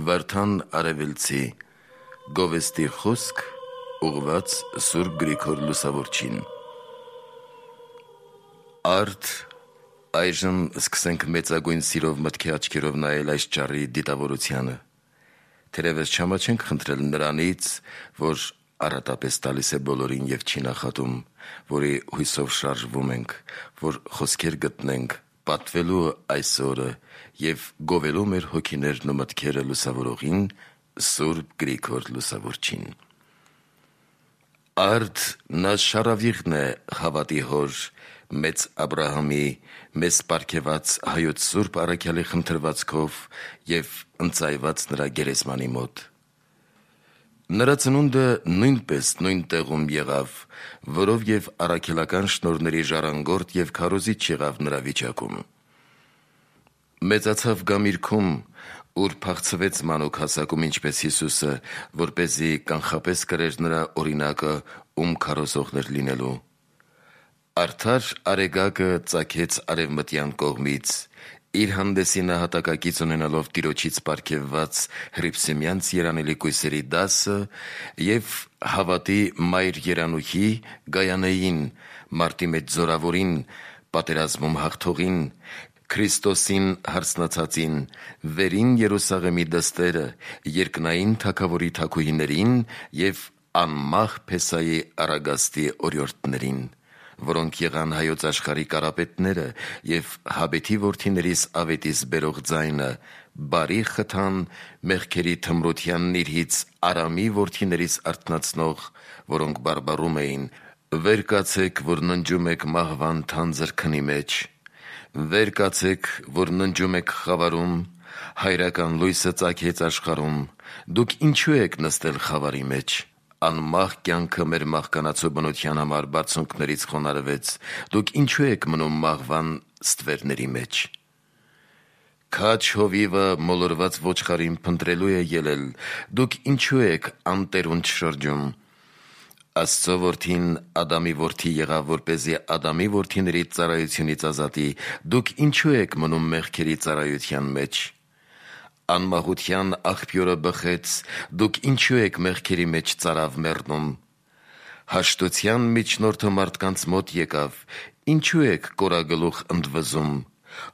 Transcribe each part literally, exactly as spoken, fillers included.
Վարդան Արևելցի Գովեստի խոսք ուղված Սուրբ Գրիգոր Լուսավորչին։ Արդ այժմ սկսենք մեծագույն սիրով մտքի աչքերով նայել այս ճառի դիտավորությանը։ Թերևս չամաչենք խնդրել նրանից, որ առատապես տալիս է բոլորին և չի նախատում, որի հույսով շարժվում ենք, որ խոսքեր գտնենք պատվելու այս օրը և գովելու մեր հոգիներն ու մտքերը լուսավորողին Սուրբ Գրիգոր Լուսավորչին։ Արդ նա շարավիղն է հավատի հոր, մեծ Աբրահամի, մեզ պարգևած Հայոց Սուրբ առաքյալի խնդրվածքով և ընծայված նրա գերեզմանի մոտ։ Նրա ծնունդը նույնպես նույն տեղում եղավ, որով և առաքելական շնորհների ժառանգորդ և քարոզիչ եղավ նրա վիճակում։ Մեծացավ Գամիրքում, ուր փախցվեց մանուկ հասակում ինչպես Հիսուսը, որպեսզի կանխապես կրեր նրա օրինակը, ում քարոզողներ լինելու։ Արդար Արեգակը ծագեց արևմտյան կողմից, իր հանդեսի նահատակակից ունենալով Տիրոջից պարգևված հռիփսիմյանց երանելի կույսերի դասը և հավատի մայր երանուհի Գայանեին, մարտի մեջ զորավորին, պատերազմում հաղթողին, Քրիստոսին հարցնացածին, վերին Երուսաղեմի դստերը, երկնային թագավորի թագուհիներին և անմահ Փեսայի առագաստի օրիորդներին, որոնք եղան հայոց աշխարհի կարապետները և Հաբեթի որդիներիս ավետիս բերող ձայնը, բարի խթան մեղքերի թմրության նիրհից Արամի որդիներիս արթնացնող, որոնք բարբառում էին. «Վեր կացեք, որ ննջում եք մահվան թանձր քնի մեջ, վեր կացեք, որ ննջում եք խավարում, հայրական լույսը ծագեց աշխարհում, դուք ինչու եք նստել խավարի մեջ, անմահ կյանքը մեր մահկանացու բնության համար բարձունքներից խոնարհվեց, դուք ինչու եք մնում մահվան ստվերների մեջ»։ Քաջ հովիվը մոլորված ոչխարին փնտրելու է ելել, դուք ինչու եք անտերունջ շրջում։ Աստծո որդին Ադամի որդի եղավ, որպեսզի Ադամի որդիների ծառայությունից ազատի, դուք ինչու եք մնում մեղքերի ծառայության մեջ։ Անմահության աղբյուրը բխեց, դուք ինչու եք մեղքերի մեջ ծարավ մեռնում։ Հաշտության միջնորդը մարդկանց մոտ եկավ, ինչու եք կորագլուխ ընդվզում։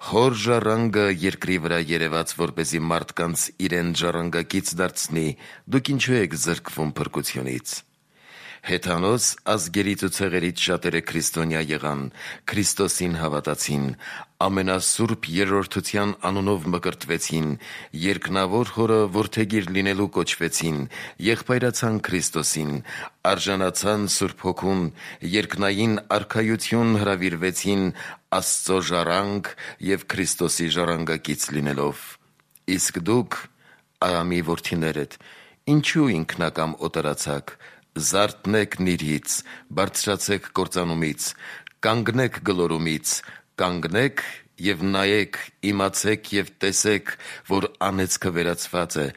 Հոր ժառանգը երկրի վրա երևաց, որպեսզի մարդկանց իրեն ժառանգակից դարձնի, դուք ինչու եք զրկվում փրկությունից։ Հեթանոս ազգերից ու ցեղերից շատերը քրիստոնյա եղան, Քրիստոսին հավատացին, ամենասուրբ երրորդության անունով մկրտվեցին, երկնավոր Հորը որդեգիր լինելու կոչվեցին, եղբայրացան Քրիստոսին, արժանացան Սուրբ Հոգուն, երկնային արքայություն հրավիրվեցին Աստծո ժառանգ և Քրիստոսի ժառանգակից լինելով։ Իսկ դուք, Արամի որդիներդ, ինչու ինքնակամ օտարացաք, զարթնեք նիրհից, բարձրացեք կործանումից, կանգնեք գլորումից, կանգնեք և նայեք, իմացեք և տեսեք, որ անեծքը վերացված է,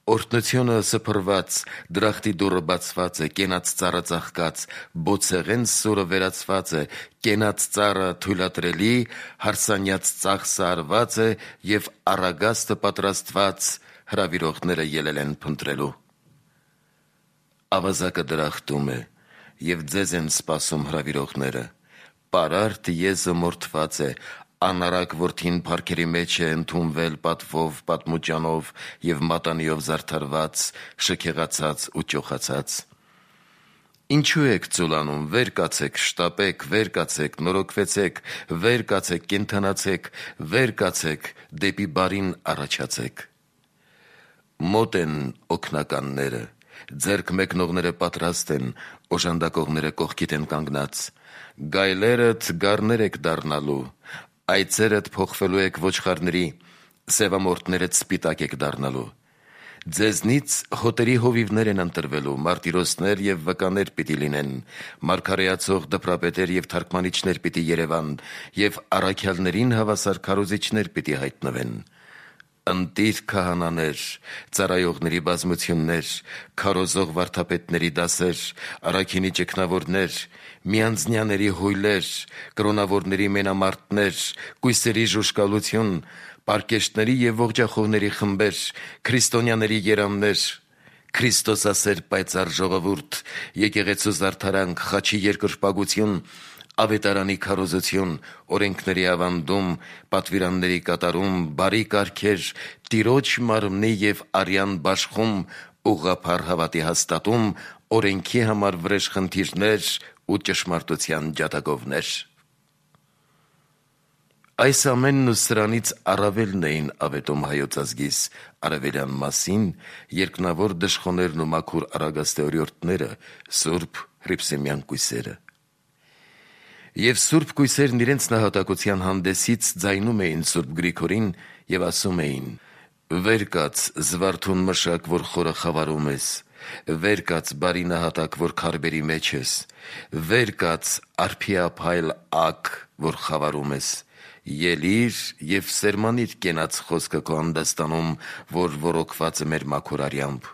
օրհնությունը սփռված, դրախտի դուռը բացված է, կենաց ծառը ծաղկած, բոցեղեն սուրը վերացված է, կենաց ծառը թույլատրելի, հարսանյաց ծախսը արված է և առագաստը պատրաստված, հրավիրողները ելել են փնտրելու։ Ավազակը դրախտում է, և ձեզ են սպասում հրավիրողները, պարարտ եզը մորթված է, անառակ որդին փառքերի մեջ է ընդունվել պատվով, պատմուճանով և մատանիով զարդարված, շքեղացած ու ճոխացած։ Ինչու եք ծուլանում, վեր կացեք, շտապեք, վեր կացեք, նորոգվեցեք, վեր կացեք, կենդանացեք, վեր կացեք, դեպի բարին առաջացեք։ Մոտ են օգնականները, ձեռք մեկնողները պատրաստ են, օժանդակողները կողքիդ են կանգնած։ Գայլերդ գառներ եք դառնալու, այծերդ փոխվելու եք ոչխարների, սևամորթներդ սպիտակ եք դառնալու։ Ձեզնից հոտերի հովիվներ են ընտրվելու, մարտիրոսներ և վկաներ պիտի լինեն, մարգարեացող դպրապետեր և թարգմանիչներ պիտի երևան, և առաքյալներին հավասար քարոզիչներ պիտի հայտնվեն։ ընտիր քահանաներ, ծառայողների բազմություններ, քարոզող վարդապետների դասեր, առաքինի ճգնավորներ, միանձնյաների հույլեր, կրոնավորների մենամարտներ, կույսերի ժուժկալություն, պարկեշտների և ողջախոհների խմբեր, քրիստոնյաների երամներ, Քրիստոսասեր պայծառ ժողովուրդ, եկեղեցու զարդարանք, խաչի երկրպագություն, ավետարանի քարոզություն, օրենքների ավանդում, պատվիրանների կատարում, բարի կարգեր, Տիրոջ մարմնի և արյան բաշխում, ուղղափառ հավատի հաստատում, օրենքի համար վրեժխնդիրներ ու ճշմարտության ջատագովներ։ Այս ամենն ու սրանից առավելն էին ավետում հայոց ազգիս արևելյան մասին երկնավոր դժխոներն ու մաքուր առագաստեօրյորտները, սուրբ հռիփսիմյան կույսերը։ Եվ սուրբ կույսերն իրենց նահատակության հանդեսից ձայնում էին սուրբ Գրիգորին և ասում էին. «Վեր կաց, զվարթուն մշակ, որ խորը խավարում ես, վեր կաց, բարի նահատակ, որ քարբերի մեջ ես, վեր կաց, արփիափայլ ակ, որ խավարում ես, ելիր և սերմանիր կենաց խոսքը քո անդաստանում, որ ոռոգված է մեր մաքուր արյամբ,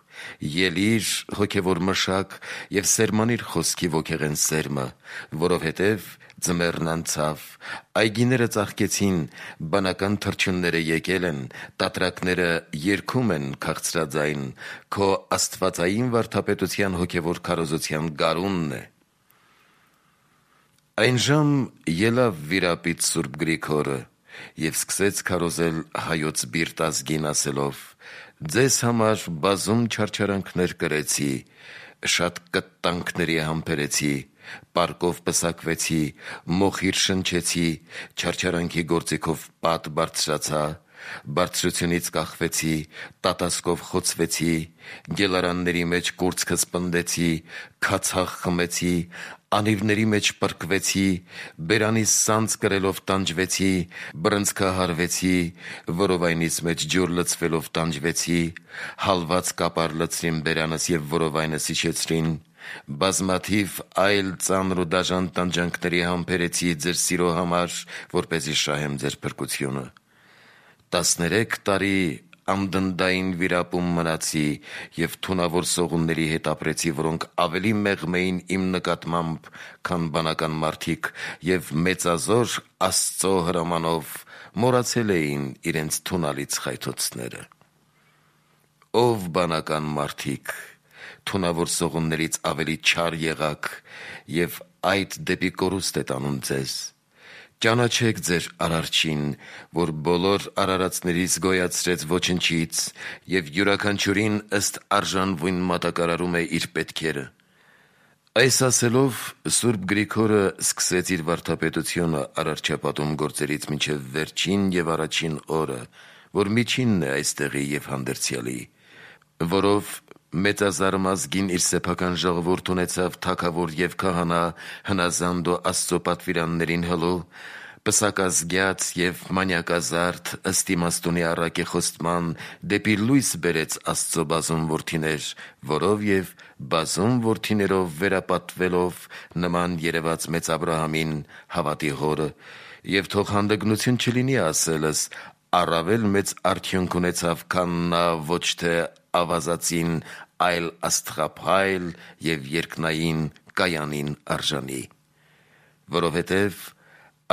ելիր հոգևոր մշակ և սերմանիր խոսքի ոգեղեն սերմը, որովհետև ձմեռն անցավ, այգիները ծաղկեցին, բանական թռչունները եկել են, տատրակները երգում են քաղցրաձայն, քո աստվածային վարդապետության հոգևոր քարոզության գարունն է»։ Այնժամ ելավ վիրապիտ սուրբ Գրիգորը և սկսեց քարոզել հայոց բիրտ ազգին ասելով. «Ձեզ համար բազում չարչարանքներ կրեցի, շատ կտտանքների համբերեցի, պարկով պսակվեցի, մոխիր շնչեցի, չարչարանքի գործիքով պատ բարձրացա, բարձրությունից կախվեցի, տատասկով խոցվեցի, գելարանների մեջ կուրծքս պնդեցի, քացախ խմեցի, անիվների մեջ պրկվեցի, բերանիս սանձ կրելով տանջվեցի, բռնցքահարվեցի, որովայնիս մեջ ջուր լցվելով տանջվեցի, հալված կապար լցրին բերանս և որովայնս իջեցրին, բազմաթիվ այլ ծանր ու դաժան տանջանքների համբերեցի ձեր սիրո համար, որպեսզի շահեմ ձեր փրկությունը։ Տասներեք տարի անդնդային վիրապում մնացի և թունավոր սողունների հետ ապրեցի, որոնք ավելի մեղմ էին իմ նկատմամբ, քան բանական մարդիկ, և մեծազոր Աստծո հրամանով մոռացել էին իրենց թունալից խայթոցները։ Ով բանական մարդիկ, թունավոր սողուններից ավելի չար եղաք, և այդ դեպի կորուստ է տանում ձեզ։ Ճանաչեք ձեր Արարչին, որ բոլոր արարածներից գոյացրեց ոչնչից և յուրաքանչյուրին ըստ արժանվույն մատակարարում է իր պետքերը»։ Այս ասելով սուրբ Գրիգորը սկսեց իր վարդապետությունը արարչապատում գործերից մինչև վերջին և առաջին օրը, որ միջինն է այստեղի և հանդերձյալի, որով մեծազարմ ազգին իր սեփական ժողովուրդ ունեցավ թագավոր և քահանա, հնազանդ ու Աստծո պատվիրաններին հլու, պսակազգյաց և մանյակազարդ, ըստ իմաստունի առակի խոստման, դեպի լույս բերեց Աստծո բազում որդիներ, որով և բազում որդիներով վերապատվելով նման երևաց մեծ Աբրահամին, հավատի հորը, և թող հանդգնություն չլինի ասելս, առավել մեծ արդյունք ունեցավ, քան նա ոչ թե ավազածին, այլ աստղափայլ և երկնային կայանին արժանի։ Որովհետև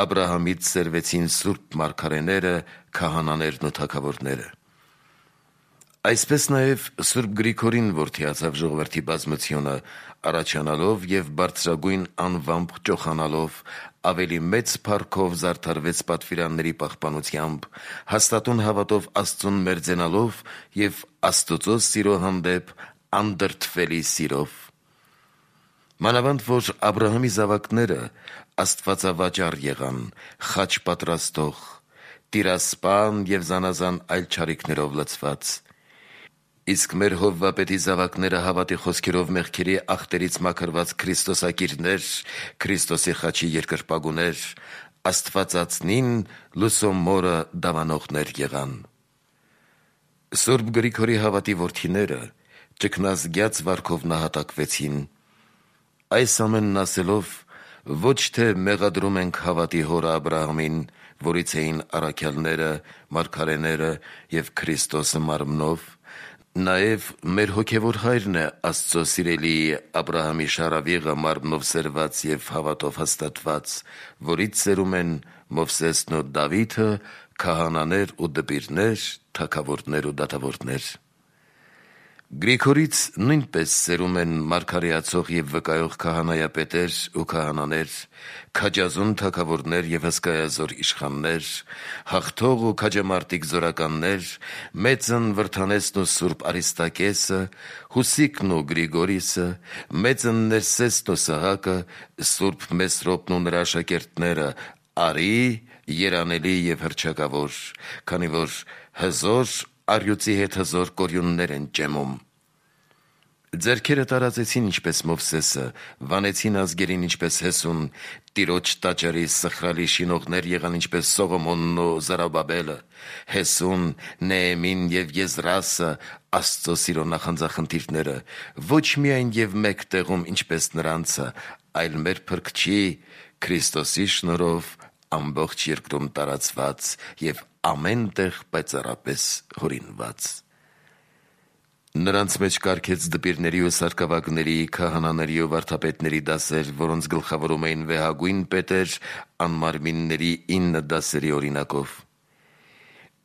Աբրահամից սերվեցին սուրբ մարգարեները, քահանաներն ու թագավորները։ Այսպես նաև սուրբ Գրիգորին որդիացավ ժողովրդի բազմությունը, առաջանալով և բարձրագույն անվամբ ճոխանալով, ավելի մեծ փառքով զարդարվեց պատվիրանների պահպանությամբ, հաստատուն հավատով Աստծուն մերձենալով և Աստուծո սիրո հանդեպ անդրդվելի սիրով։ Մանավանդ որ Աբրահամի զավակները աստվածավաճառ եղան, խաչ պատրաստող, տիրասպան և զանազան այլ չարիքներով լցված։ Իսկ մեր հովվապետի զավակները հավատի խոսքերով մեղքերի ախտերից մաքրված քրիստոսակիրներ, Քրիստոսի խաչի երկրպագուներ, Աստվածածնին լուսո մորը դավանողներ եղան։ Սուրբ Գրիգորի հավատի որդիները ճգնազգյաց վարքով նահատակվեցին։ Այս ամենն ասելով ոչ թե մեղադրում ենք հավատի հորը Աբրահամին, որից էին առաքյալները, մարգարեները և Քրիստոսը մարմնով, նաև մեր հոգևոր հայրն է Աստծո սիրելի Աբրահամի շարավիղը մարմնով սերված և հավատով հաստատված, որից սերում են Մովսեսն ու Դավիթը, քահանաներ ու դպիրներ, թագավորներ ու դատավորներ։ Գրիգորից նույնպես սերում են մարգարեացող և վկայող քահանայապետեր ու քահանաներ, քաջազուն թագավորներ և հսկայազոր իշխաններ, հաղթող ու քաջամարտիկ զորականներ, մեծն Վրդանեսն ու Սուրբ Արիստակեսը, Հուսիկն ու Գրիգորիսը, մեծն Ներսեսն ու Սահակը, Սուրբ Մեսրոպն ու նրա աշակերտները, արի, երանելի և հռչակավոր, քանի որ հզոր առյուծի հետ հզոր կորյուններ են ճեմում։ Ձեռքերը տարածեցին ինչպես Մովսեսը, վանեցին ազգերին ինչպես Հեսուն, Տիրոջ տաճարի սխրալի շինողներ եղան ինչպես Սողոմոնն ու Զարուբաբելը, Հեսուն, Նեեմին և Եզրասը, Աստծո սիրո նախանձախնդիրները, ոչ միայն և մեկ տեղում ինչպես նրանցը, այլ մեր Փրկչի Քրիստոսի շնորհով ամբողջ երկրում տարածված և ամեն տեղ պայծառապես հորինված։ Նրանց մեջ կարգեց դպիրների ու սարկավագների, քահանաների ու վարդապետների դասեր, որոնց գլխավորում էին վեհագույն պետեր անմարմինների ինը դասերի օրինակով։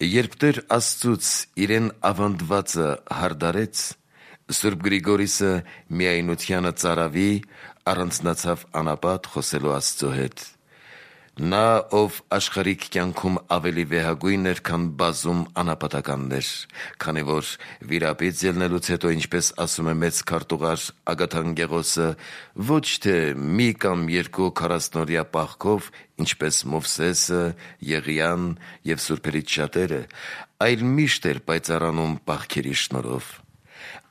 Երբ Տեր Աստծուց իրեն ավանդվածը հարդարեց, Սուրբ Գրիգորիսը միայնությանը ծարավի, առանձնացավ անապատ խոսելու Աստծո հետ։ Նա, ով աշխարհիկ կյանքում ավելի վեհագույն էր, քան բազում անապատականներ, քանի որ վիրապից ելնելուց հետո, ինչպես ասում է մեծ քարտուղար Ագաթան Գեղոսը, ոչ թե մի կամ երկու քառասնօրյա պահքով, ինչպես Մովսեսը, Եղիան և սուրբերից շատերը, այլ միշտ էր պայծառանում պահքերի շնորհով։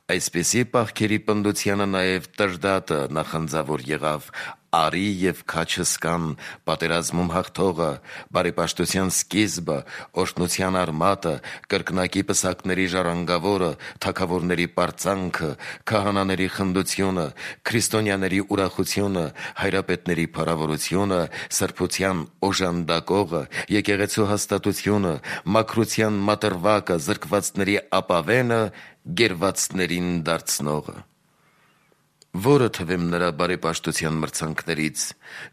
Այսպիսի պահքերի պնդությանը նաև Տրդատը նախանձավոր եղավ, արի և քաջ հսկան, պատերազմում հաղթողը, բարեպաշտության սկիզբը, օրհնության արմատը, կրկնակի պսակների ժառանգավորը, թագավորների պարծանքը, քահանաների խնդությունը, քրիստոնյաների ուրախությունը, հայրապետների փառավորությունը, սրբության օժանդակողը, եկեղեցու հաստատությունը, մաքրության մատրվակը, զրկվածների ապավենը, գերվածներին դարձնողը։ Որը թվեմ նրա բարեպաշտության մրցանքներից,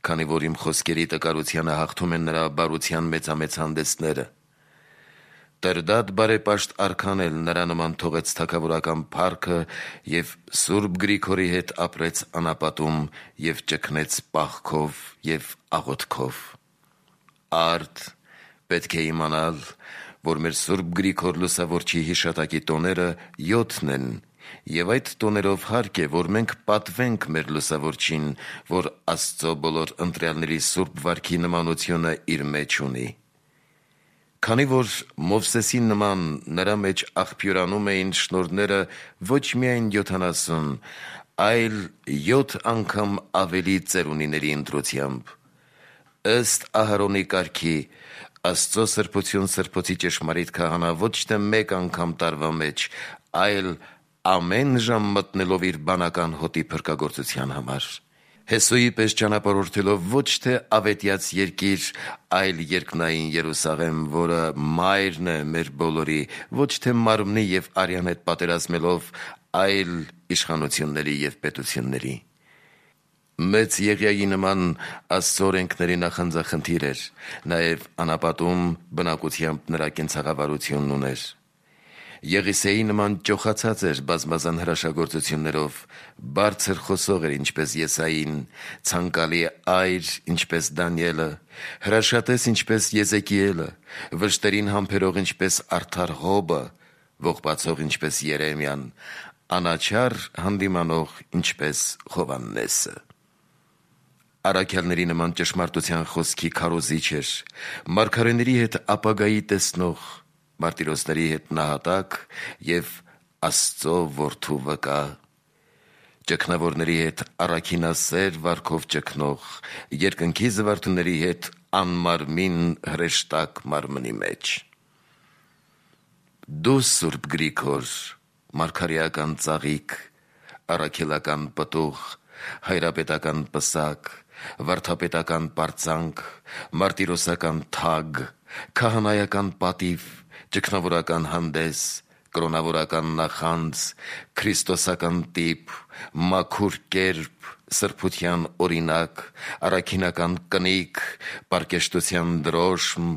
քանի որ իմ խոսքերի տկարությանը հաղթում են նրա բարության մեծամեծ հանդեսները։ Տրդատ բարեպաշտ արքան էլ նրա նման թողեց թագավորական փառքը և Սուրբ Գրիգորի հետ ապրեց անապատում և ճգնեց պահքով և աղոթքով։ Արդ պետք է իմանալ, որ մեր Սուրբ Գրիգոր Լուսավորչի հիշատակի տոները յոթն են, և այդ տոներով հարկ է, որ մենք պատվենք մեր Լուսավորչին, որ Աստծո բոլոր ընտրյալների սուրբ վարքի նմանությունը իր մեջ ունի։ Քանի որ Մովսեսի նման նրա մեջ աղբյուրանում էին շնորհները ոչ միայն յոթանասուն, այլ յոթ անգամ ավելի ծերունիների ընտրությամբ։ Ըստ Ահարոնի կարգի, Աստծո սրբություն սրբոցի ճշմարիտ քահանա ոչ թե մեկ անգամ տարվա մեջ, այլ ամեն ժամ մտնելով իր բանական հոտի փրկագործության համար։ Հեսուի պես ճանապարհորդելով ոչ թե ավետյաց երկիր, այլ երկնային Երուսաղեմ, որը մայրն է մեր բոլորի, ոչ թե մարմնի և արյան հետ պատերազմելով, այլ իշխանությունների և պետությունների։ Մեծ Եղիայի նման Աստծո օրենքների նախանձախնդիր էր, նաև անապատում բնակությամբ նրա կենցաղավարությունն ուներ։ Եղիսեի նման ճոխացած էր բազմազան հրաշագործություններով, բարձր խոսող էր ինչպես Եսային, ցանկալի այր ինչպես Դանիելը, հրաշատես ինչպես Եզեկիելը, վշտերին համբերող ինչպես արդար Հոբը, ողբացող ինչպես Երեմիան, անաչառ հանդիմանող ինչպես Հովհաննեսը։ Առաքյալների նման ճշմարտության խոսքի քարոզիչ էր, մարգարեների հետ ապագայի տեսնող, մարտիրոսների հետ նահատակ և Աստծո որդու վկա, ճգնավորների հետ առաքինասեր վարքով ճգնող, երկնքի զվարթուների հետ անմարմին հրեշտակ մարմնի մեջ։ Դու Սուրբ Գրիգոր, մարգարեական ծաղիկ, առաքելական պտուղ, հայրապետական պսակ, վարդապետական պարծանք, մարտիրոսական թագ, քահանայական պատիվ, ճգնավորական հանդես, կրոնավորական նախանձ, քրիստոսական տիպ, մաքուր կերպ, սրբության օրինակ, առաքինական կնիկ, պարկեշտության դրոշմ,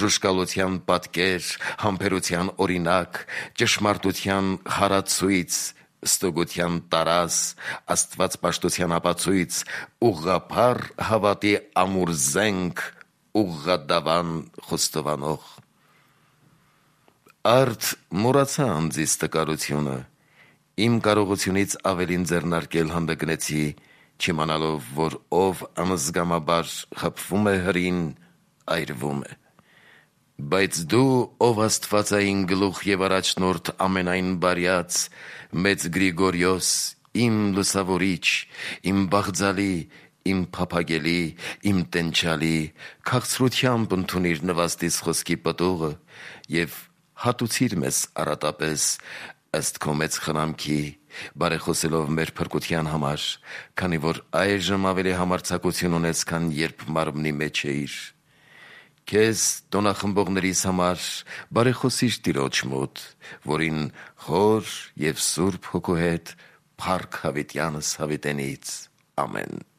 ժուժկալության պատկեր, համբերության օրինակ, ճշմարտության հարացույց, ստուգության տարաս, աստվածպաշտության ապացույց, ուղղափառ հավատի ամուր զենք, ուղղադավան խոստովանող։ Արդ մոռացա անձիս տկարությունը, իմ կարողությունից ավելին ձեռնարկել հանդգնեցի, չիմանալով, որ ով անզգամաբար խփվում է հրին, այրվում է։ Բայց դու, ով աստվածային գլուխ և առաջնորդ ամենայն բարյաց, մեծ Գրիգորիոս, իմ լուսավորիչ, իմ բաղձալի, իմ փափագելի, իմ տենչալի, քաղցրությամբ ընդունիր նվաստիս խոսքի պտուղը և հատուցիր մեզ առատապես, ըստ քո մեծ խնամքի, բարեխոսելով մեր փրկության համար, քանի որ այժմ ավելի համարձակություն ունես, քան երբ մարմնի մեջ էիր։ Քեզ տոնախմբողներիս համար բարեխոսիր Տիրոջ մոտ, որին խոր և սուրբ հոգու հետ փառք հավիտյանս հավիտենից։ Ամեն։